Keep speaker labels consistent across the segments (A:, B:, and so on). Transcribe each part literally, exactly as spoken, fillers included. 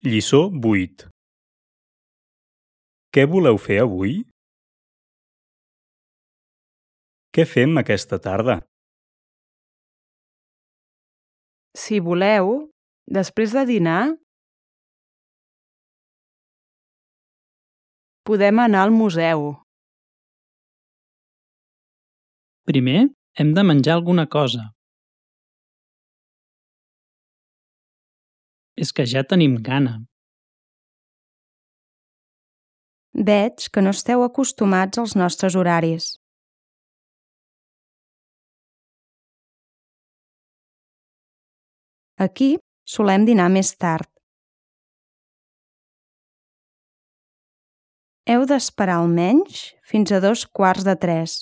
A: Lliçó vuit. Què voleu fer avui? Què fem aquesta tarda?
B: Si voleu, després de dinar, podem anar al museu.
C: Primer hem de menjar alguna cosa. És que ja tenim gana.
D: Veig que no esteu acostumats als nostres horaris. Aquí solem dinar més tard. Heu d'esperar almenys fins a dos quarts de tres.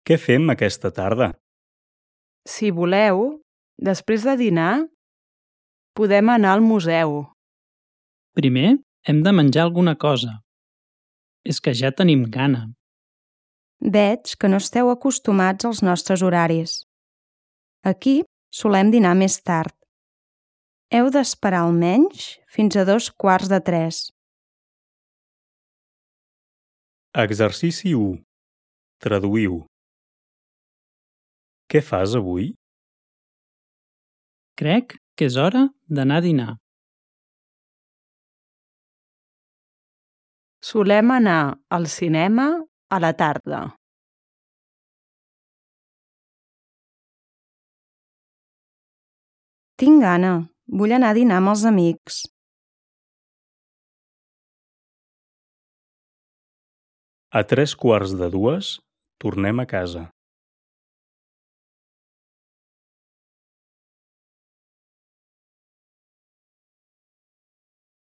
A: Què fem aquesta tarda?
B: Si voleu, després de dinar, podem anar al museu.
C: Primer hem de menjar alguna cosa. És que ja tenim gana.
D: Veig que no esteu acostumats als nostres horaris. Aquí solem dinar més tard. Heu d'esperar almenys fins a dos quarts de tres.
A: Exercici u. Traduïu. Què fas avui?
C: Crec que és hora d'anar a dinar.
B: Solem anar al cinema a la tarda.
D: Tinc gana. Vull anar a dinar amb els amics.
A: A tres quarts de dues tornem a casa.